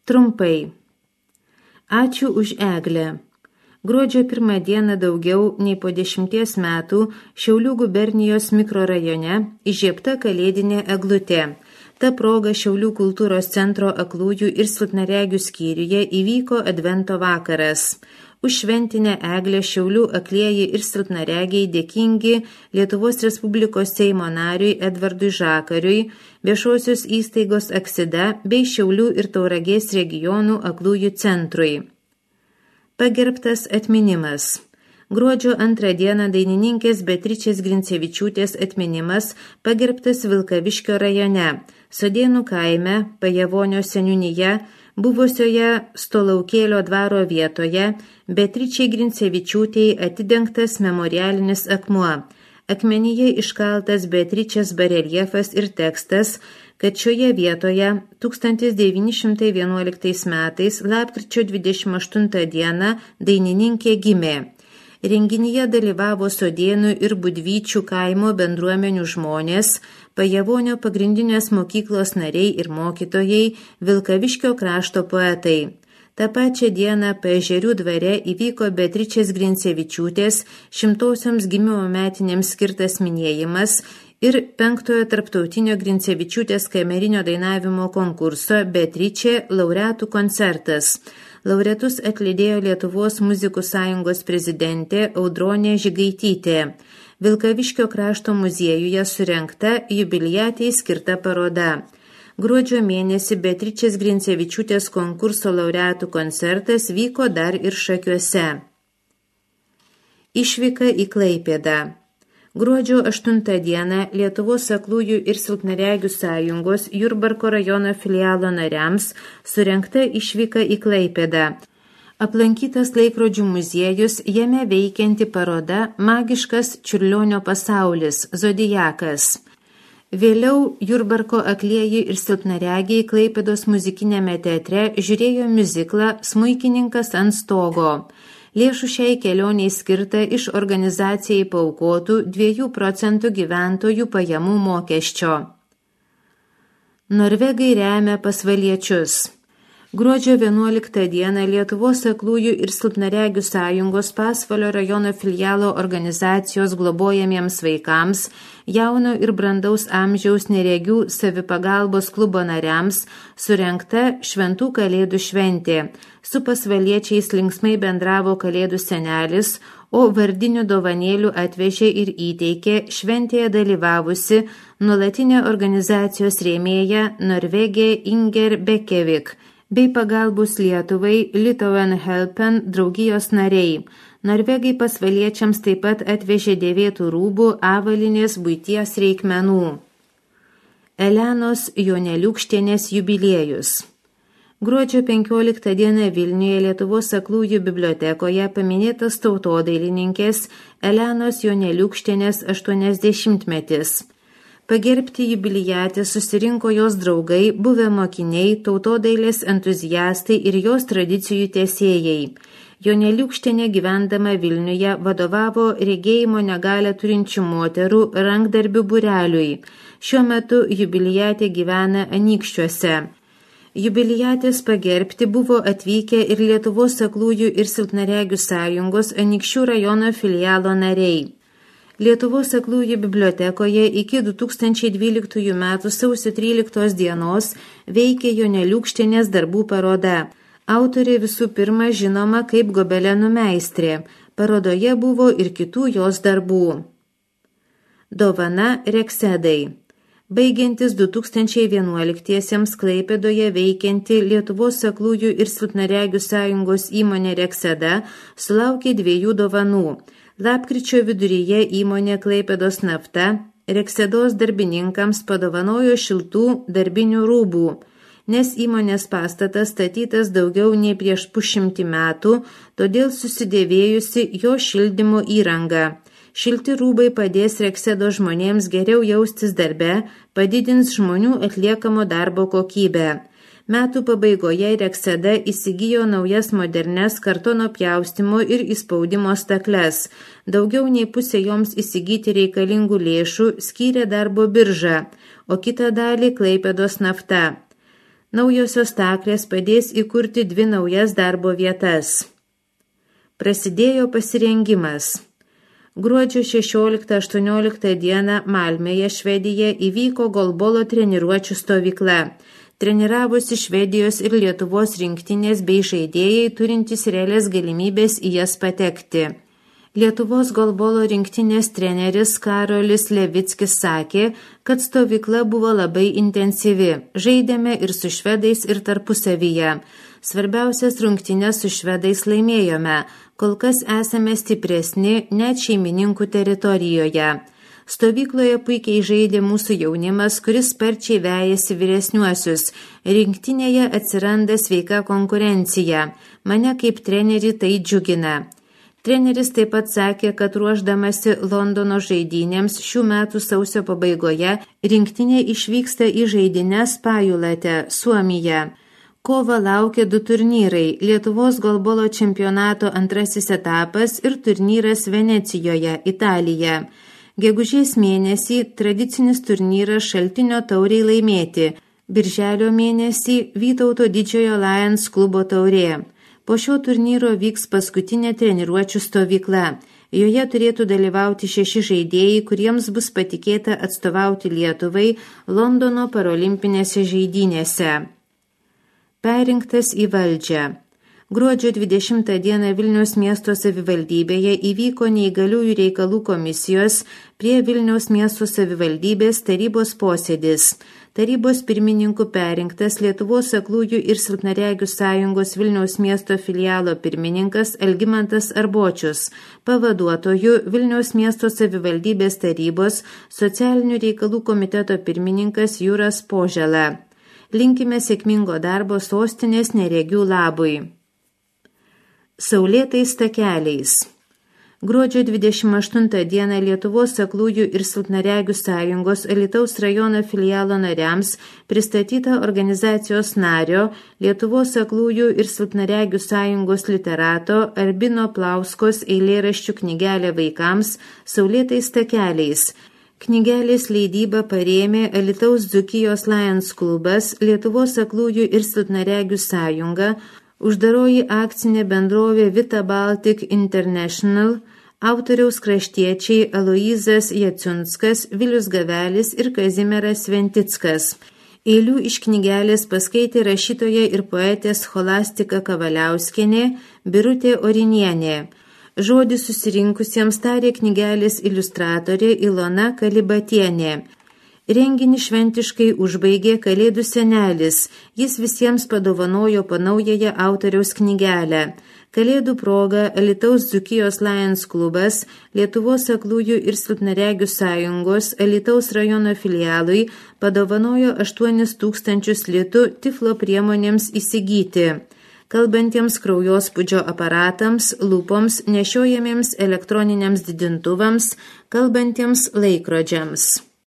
Trumpai. Ačiū už eglę. Gruodžio 1 dieną daugiau nei po 10 metų Šiaulių gubernijos mikrorajone įžiebta kalėdinė eglutė. Ta proga Šiaulių kultūros centro aklųjų ir silpnaregių skyriuje įvyko advento vakaras. Už šventinę eglę Šiaulių aklieji ir silpnaregiai dėkingi Lietuvos Respublikos Seimo nariui Edvardui Žakariui, viešosios įstaigos Aksida bei Šiaulių ir Tauragės regionų aklųjų centrui. Pagerbtas atminimas. Gruodžio 2 dieną dainininkės Beatričės Grincevičiūtės atminimas pagerbtas Vilkaviškio rajone, Sodėnų kaime, Pajavonio seniūnyje, buvusioje Stolaukėlio dvaro vietoje, Beatričei Grincevičiūtei atidengtas memorialinis akmuo. Akmenyje iškaltas Beatričės bareljefas ir tekstas, kad šioje vietoje 1911 metais lapkričio 28 dieną dainininkė gimė. Renginyje dalyvavo Sodėnų ir Budvyčių kaimo bendruomenių žmonės, Pajavonio pagrindinės mokyklos nariai ir mokytojai, Vilkaviškio krašto poetai. Ta pačią dieną Paežerių dvare įvyko Beatričės Grincevičiūtės 100-sioms gimimo metinėms skirtas minėjimas ir 5-ojo tarptautinio Grincevičiūtės kamerinio dainavimo konkurso Beatričė laureatų koncertas. Laureatus atlydėjo Lietuvos muzikų sąjungos prezidentė Audronė Žigaitytė. Vilkaviškio krašto muziejuje surengta jubiliatei skirta paroda. Gruodžio mėnesį Beatričės Grincevičiūtės konkurso laureatų koncertas vyko dar ir Šakiuose. Išvyka į Klaipėdą. Gruodžio 8 dieną Lietuvos aklųjų ir silpnaregių sąjungos Jurbarko rajono filialo nariams surengta išvyka į Klaipėdą. Aplankytas laikrodžių muziejus, jame veikianti paroda Magiškas Čiurlionio pasaulis – Zodiakas. Vėliau Jurbarko aklieji ir silpnaregiai Klaipėdos muzikinėme teatre žiūrėjo miuziklą Smuikininkas ant stogo. Lėšų šiai kelioniai skirta iš organizacijai paaukotų 2% gyventojų pajamų mokesčio. Norvegai remia pasvaliečius. Gruodžio 11 dieną Lietuvos aklųjų ir silpnaregių sąjungos Pasvalio rajono filialo organizacijos globojamiems vaikams, jauno ir brandaus amžiaus neregių savipagalbos klubo nariams surengta Šventų kalėdų šventė. Su pasvaliečiais linksmai bendravo kalėdų senelis, o vardinių dovanėlių atvežė ir įteikė šventėje dalyvavusi nuolatinė organizacijos rėmėja Norvegė Inger Bekevik bei pagalbos Lietuvai Litauen Helpen draugijos nariai. Norvegai pasvaliečiams taip pat atvežė dėvėtų rūbų, avalynės, buities reikmenų. Elenos Joneliūkštienės jubiliejus. Gruodžio 15 dieną Vilniuje Lietuvos aklųjų bibliotekoje paminėtas tautodailininkės Elenos Joneliūkštienės 80-metis. Pagerbti jubiliatę susirinko jos draugai, buvę mokiniai, tautodailės entuziastai ir jos tradicijų tęsėjai. Joneliūkštienė gyvendama Vilniuje vadovavo regėjimo negalią turinčių moterų rankdarbių būreliui. Šiuo metu jubiliatė gyvena Anykščiuose. Jubiliatės pagerbti buvo atvykę ir Lietuvos aklųjų ir silpnaregių sąjungos Anykščių rajono filialo nariai. Lietuvos aklųjų bibliotekoje iki 2012 m. sausio 13 dienos veikė Joneliūkštienės darbų paroda. Autorė visų pirma žinoma kaip gobelenų meistrė. Parodoje buvo ir kitų jos darbų. Dovana Reksedai. Baigiantis 2011-iesiems Klaipėdoje veikianti Lietuvos aklųjų ir silpnaregių sąjungos įmonė Rekseda sulaukė 2 dovanų. Lapkričio viduryje įmonė Klaipėdos nafta Reksedos darbininkams padovanojo šiltų darbinių rūbų, nes įmonės pastatas statytas daugiau nei prieš 100 metų, todėl susidėvėjusi jo šildymo įranga. Šilti rūbai padės Reksedo žmonėms geriau jaustis darbe, padidins žmonių atliekamo darbo kokybę. Metų pabaigoje Rekseda įsigijo naujas modernes kartono pjaustimo ir įspaudimo stakles. Daugiau nei pusė joms įsigyti reikalingų lėšų skyrė darbo birža, o kitą dalį Klaipėdos nafta. Naujosios staklės padės įkurti 2 naujas darbo vietas. Prasidėjo pasirengimas. Gruodžio 16-18 dieną Malmėje, Švedija, įvyko golbolo treniruočių stovykla. Treniravosi Švedijos ir Lietuvos rinktinės bei žaidėjai turintys realias galimybės į jas patekti. Lietuvos golbolo rinktinės treneris Karolis Levickis sakė, kad stovykla buvo labai intensyvi. Žaidėme ir su švedais, ir tarpusavyje. Svarbiausias rungtynes su švedais laimėjome. Kol kas esame stipresni net šeimininkų teritorijoje. Stovykloje puikiai žaidė mūsų jaunimas, kuris sparčiai vejasi vyresniuosius. Rinktinėje atsiranda sveika konkurencija. Mane kaip trenerį tai džiugina. Treneris taip pat sakė, kad ruošdamasi Londono žaidynėms šių metų sausio pabaigoje rinktinė išvyksta į žaidynes Pajulate, Suomija. Kovą laukia 2 turnyrai – Lietuvos golbolo čempionato 2 etapas ir turnyras Venecijoje, Italija. Gegužės mėnesį tradicinis turnyras Šaltinio taurei laimėti, birželio mėnesį Vytauto Didžiojo Lions klubo taurė. Po šio turnyro vyks paskutinė treniruočių stovykla. Joje turėtų dalyvauti 6 žaidėjai, kuriems bus patikėta atstovauti Lietuvai Londono parolimpinėse žaidynėse. Perrinktas į valdžią. Gruodžio 20 dieną Vilniaus miesto savivaldybėje įvyko neįgaliųjų reikalų komisijos prie Vilniaus miesto savivaldybės tarybos posėdis. Tarybos pirmininku perrinktas Lietuvos aklųjų ir silpnaregių sąjungos Vilniaus miesto filialo pirmininkas Algimantas Arbočius, pavaduotoju Vilniaus miesto savivaldybės tarybos socialinių reikalų komiteto pirmininkas Jūras Požela. Linkime sėkmingo darbo sostinės neregių labui. Saulėtais takeliais. Gruodžio 28 dieną Lietuvos aklųjų ir silpnaregių sąjungos Alytaus rajono filialo nariams pristatyta organizacijos nario Lietuvos aklųjų ir silpnaregių sąjungos literato Albino Plauskos eilėraščių knygelė vaikams Saulėtais takeliais. Knygelės leidybą parėmė Alytaus Dzūkijos Lions klubas, Lietuvos aklųjų ir silpnaregių sąjunga, uždaroji akcinė bendrovė Vita Baltic International, autoriaus kraštiečiai Aloyzas Jaciunskas, Vilius Gavelis ir Kazimieras Ventickas. Eilių iš knygelės paskaitė rašytoja ir poetė Scholastika Kavaliauskienė, Birutė Orinienė. Žodį susirinkusiems tarė knygelės iliustratorė Ilona Kalibatienė. Renginį šventiškai užbaigė Kalėdų senelis. Jis visiems padovanojo po naująją autoriaus knygelę. Kalėdų proga Alytaus Dzūkijos Lions klubas, Lietuvos aklųjų ir silpnaregių sąjungos Alytaus rajono filialui padovanojo 8 000 litų tiflo priemonėms įsigyti. Kalbantiems kraujospūdžio aparatams, lūpoms, nešiojamiems elektroniniams didintuvams, kalbantiems laikrodžiams.